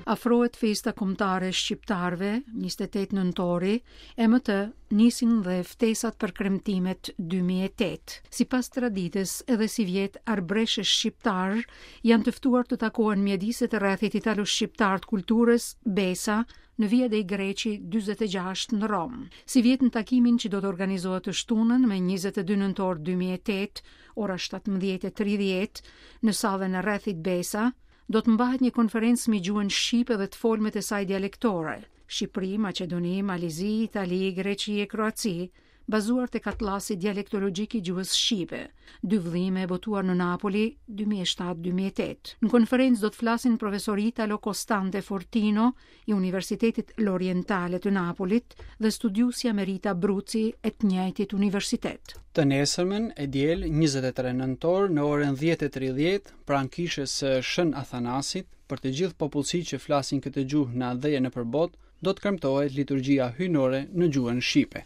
Afrohet festa kombëtare e shqiptarëve, 28 nëntori, e me të nisin dhe ftesat për kremtimet 2008. Sipas traditës, edhe sivjet arbëreshë e shqiptarë janë të ftuar të takohen në mjediset e rrethit italo-shqiptar të kulturës, Besa, në Via dei Greci 46 në Romë. Sivjet në takimin që do të organizohet të shtunën me 22 nëntor 2008, ora 17:30, në sallën e rrethit Besa, do të mbahet një konferencë mbi gjuhën shqipe dhe të folmet e saj dialektore, Shqipëri, Maqedoni, Mal i Zi, Itali, Greqi e Kroaci, bazuar tek Atlasi Dialektologjik i Gjuhës Shqipe, dy vëllime botuar në Napoli, 2007-2008. Në konferencë do të flasin profesori Italo Costante Fortino i Universitetit L'Orientale të Napolit dhe studiuesja Merita Bruci e të njëjtit universitet. Të nesërmen, e diel, 23 nëntor, në orën 10:30, pranë kishës së Shën Athanasit, për të gjithë popullsitë që flasin këtë gjuhë në atdhe e nëpër botë, do të kremtohet liturgjia hyjnore në gjuhën shqipe.